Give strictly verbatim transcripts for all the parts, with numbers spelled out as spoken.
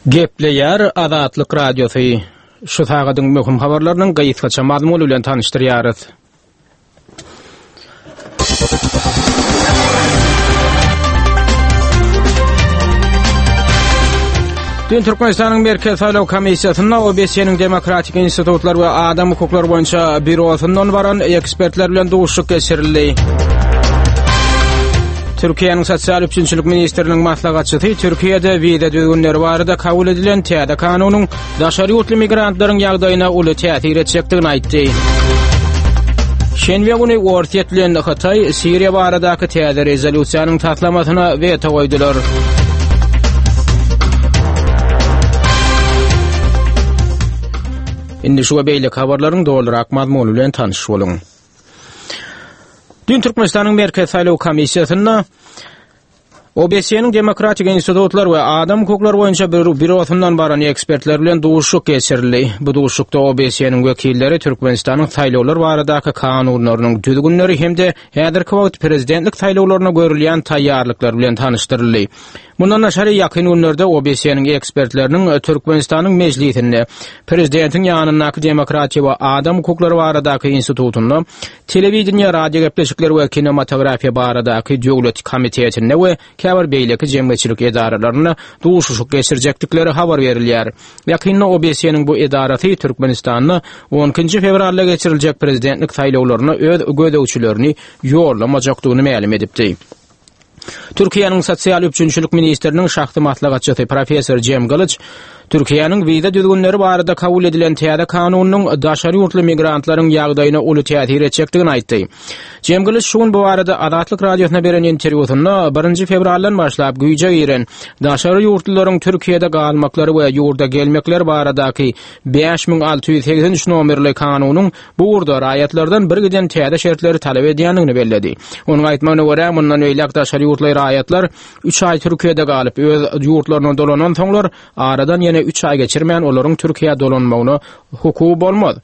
Gepleýär Azatlyk Radiosy. Şu sagadyň möhüm habarlarynyň gysgaça mazmuny bilen tanyşdyrýarys. Dün Türkmenistanyň Merkezi Saýlaw Komissiýasynda O B S E-niň Demokratik Institutlar we Adam Hukuklary boýunça bürosyndan baran ekspertler bilen duşuşyk geçirildi. Türkiýäniň Sosial üpjünçilik ministriniň maslahatçysy Türkiýede wiza düzgünleri barada kabul edilen täze kanunyň daşary ýurtly migrantlaryň ýagdaýyna uly täsir etjekdigini aýtdy. Şenbe güni Orsýet bilen Hytaý Siriýa baradaky täze rezolýusiýanyň taslamasyna weto goýdular. Indi şu we beýleki habarlaryň dolurak mazmuny bilen tanyş boluň. Dün Türkmenistanyň Merkezi Saýlaw Komissiýasynda O B S E-niň Demokratik Institutlar we Adam Hukuklary boýunça bürosyndan baran ekspertler bilen duşuşyk geçirildi. Bu duşuşykda O B S E-niň wekilleri Türkmenistanyň saýlawlar baradaky kanunlarynyň düzgünleri hem-de häzirki wagt prezidentlik saýlawlaryna görülýän taýýarlyklar bilen tanyşdyryldy. Mundan daşary ýakyn günlerde O B S E-niň ekspertleriniň Türkmenistanyň mejlisinde prezidentiň ýanyndaky Demokratiýa we Adam Hukuklary baradaky institutynda, telewideniýe, radio gepleşikleri we kinematografiýa baradaky döwlet komitetinde we käbir beýleki jemgyýetçilik edaralarynda duşuşyk geçirjekdikleri habar berilýär. Ýakynda O B S E-niň bu edarasy Türkmenistanda on ikinji fewralda geçiriljek prezidentlik saýlawlaryna öz gözegçilerini ýollamajakdygyny mälim edipdi. Türkiýäniň Sosial üpjünçilik ministriniň şahsy maslahatçysy professor Jem Gylyç Türkiýäniň wiza düzgünleri barada kabul edilen täze kanunyň daşary ýurtly migrantlaryň ýagdaýyna uly täsir etjekdigini aýtdy. Jem Gylyç şu gün bu barada Azatlyk Radiosyna beren interwýusynda birinji fewraldan başlap güýje giren daşary ýurtlularyň Türkiýede galmaklary we ýurda gelmekleri baradaky bäş müň alty ýüz segsen üç nomerli kanunyň bu ugurda raýatlardan bir giden täze şertleri talap edýändigini belledi. Onuň aýtmagyna görä, mundan beýläk daşary ýurtly raýatlar üç aý Türkiýede galyp, öz ýurtlaryna dolanan soňlar aradan ýene üç aý geçirmän olaryň Türkiýä dolanmagyna hukugy bolmaz.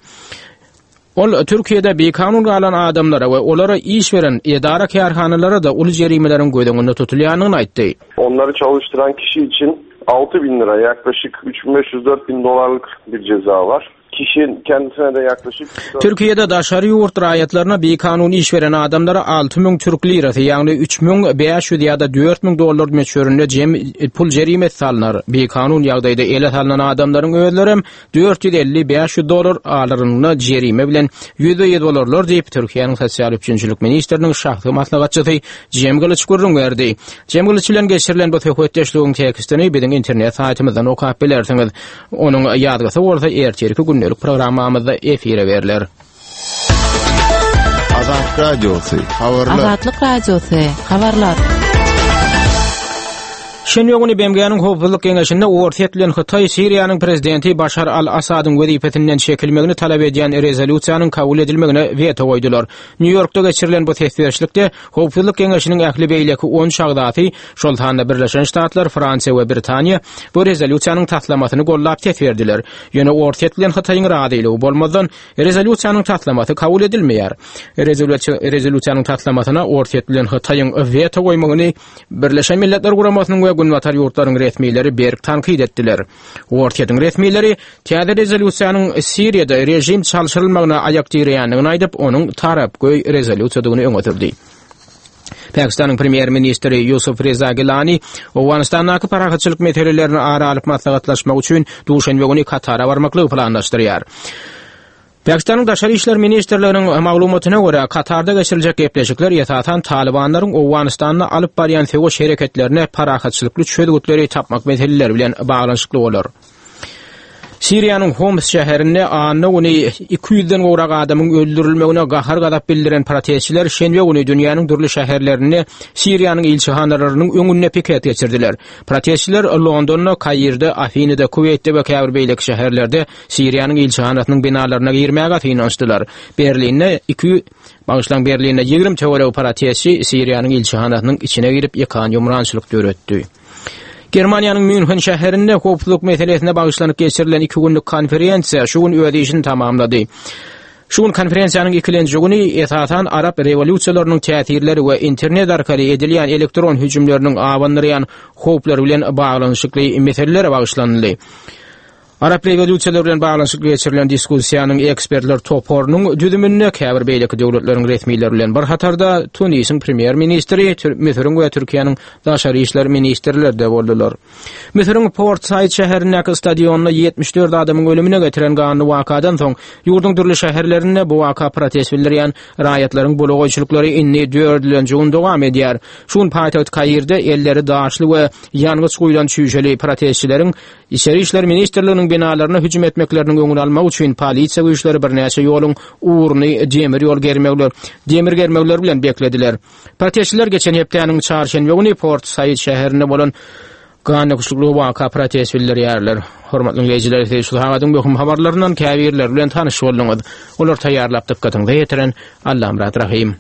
Ol Türkiýede bikanun galan adamlara we olara iş beren edara kärhanalara da uly jerimeleriň göz öňünde tutulýandygyny aýtdy. Onları çalıştıran kişi için altı bin lira, yaklaşık üç bin beş yüz dört bin dolarlık bir ceza var. Kişinin kendisine de yaklaşık Türkiýede daşary ýurt raýatlaryna bikanun iş beren adamlara alty müň türk lirasy, ýagny üç müň bäş ýüz ýa-da dört müň dollar möçberinde jem pul jerimesi salynar. Bikanun ýagdaýda ele salynan adamlaryň özleri dört ýüz elli bäş ýüz dollar alarynda jerime bilen ýüzde ýüz bolarlar diýip Türkiýäniň Sosial üpjünçilik ministriniň şahsy maslahatçysy Jem Gylyç gürrüň berdi. Jem Gylyç bilen geçirilen bu söhbetdeşligiň tekstini biziň internet saýtymyzdan okap bilersiňiz. Onuň ýazgysy bolsa ertirki gündelik programmamyzda efire berler. Azatlyk Radiosy, habarlar. Azatlyk Radiosy, habarlar. Şenbe güni B M G-niň Howpsuzlyk Geňeşinde Orsýet bilen Hytaý Siriýanyň prezidenti Başar al-Asadyň wezipesinden çekilmegini talap edýän rezolýusiýanyň kabul edilmegine weto goýdular. Nýu Ýorkda geçirilen bu ses berişlikde Howpsuzlyk Geňeşiniň ähli beýleki on agzasy, şol sanda Birleşen Ştatlar, Fransiýa we Britaniýa bu rezolýusiýanyň taslamasyny gollap ses berdiler. Ýöne Orsýet bilen Hytaýyň razylygy bolmazdan rezolýusiýanyň taslamasy kabul edilmeýär. Rezolýusiýa, rezolýusiýanyň taslamasyna Orsýet bilen Hytaýyň weto goýmagyny Birleşen Milletler Guramasynyň we Günbatar ýurtlaryň resmileri berk tankyt etdiler. Orsýetiň resmileri täze rezolýusiýanyň Siriýada režim çalşyrylmagyna aýak direýändigini aýdyp, onuň tarapgöý rezolýusiýadygyny öňe sürdi. Pakistanyň premýer-ministri Ýusuf Reza Gilani Owganystandaky parahatçylyk meselelerini ara alyp maslahatlaşmak üçin duşenbe güni Katara barmaklygy planlaşdyrýar. Pakistanyň Daşary İşler Ministrliginiň maglumatyna görä, Katarda geçiriljek gepleşikler esasan Talibanlaryň Owganystanda alyp barýan söweş hereketlerine parahatçylykly çözgütleri tapmak meseleleri bilen baglanyşykly bolar. Siriýanyň Homs şäherinde anna güni iki ýüzden gowrak adamyň öldürilmegine gahar-gazap bildiren protestçiler şenbe güni dünýäniň dürli şäherlerinde Siriýanyň ilçihanalarynyň öňünde piket geçirdiler. Protestçiler Londonda, Kairde, Afinada, Kuweýtde we käbir beýleki şäherlerde Siriýanyň ilçihanasynyň binalaryna girmäge synanyşdylar. Berlinde iki Bagyşlaň, Berlinde ýigrimi töweregi protestçi Siriýanyň ilçihanasynyň içine girip ýykan ýumrançylyk döretdi. Germaniýanyň München şäherinde howpsuzlyk meselesine bagyşlanyp geçirilen iki günlük konferensiýa şu gün öz işini tamamlady. Şu gün konferensiýanyň ikilenji güni esasan Arap rewolýusiýalarynyň täsirleri we internet arkaly edilýän elektron hüjümleriniň abandyrýan howplary bilen baglanyşykly meselelere bagyşlanyldy. Arap rewolýusiýalary bilen baglanyşykly geçirilen diskussiýanyň ekspertler toparynyň düzüminde käbir beýleki döwletleriň resmileri bilen bir hatarda Tunisiň premýer-ministri, Müsüriň we Türkiýäniň daşary işler ministrleri de boldular. Müsüriň Port Said şäherindäki stadionda ýetmiş dört adamyň ölümine getiren ganly wakadan soň ýurduň dürli şäherlerinde bu waka protest bildirýän raýatlaryň bulagoýçylyklary indi dördülenji gün dowam edýär. Şu gün paýtagt Kairde elleri daşly we ýangyç guýlan çüýşeli protestçileriň Içeri işler ministrliginiň binalaryna hüjüm etmekleriniň öňüni almak üçin polisiýa güýçleri birnäçe ýoluň ugruny demir ýol germewler, demir germewler bilen beklediler. Protestçiler geçen hepdäniň çarşenbe güni Port Said şäherinde bolan gandöküşlikli waka protest bildirýärler. Hormatly dinleýjiler, siz şu sagadyň möhüm habarlaryndan käbirleri bilen tanyş bolduňyz. Olar taýýarlap dykgatyňyza ýetiren Allamyrat Rahym.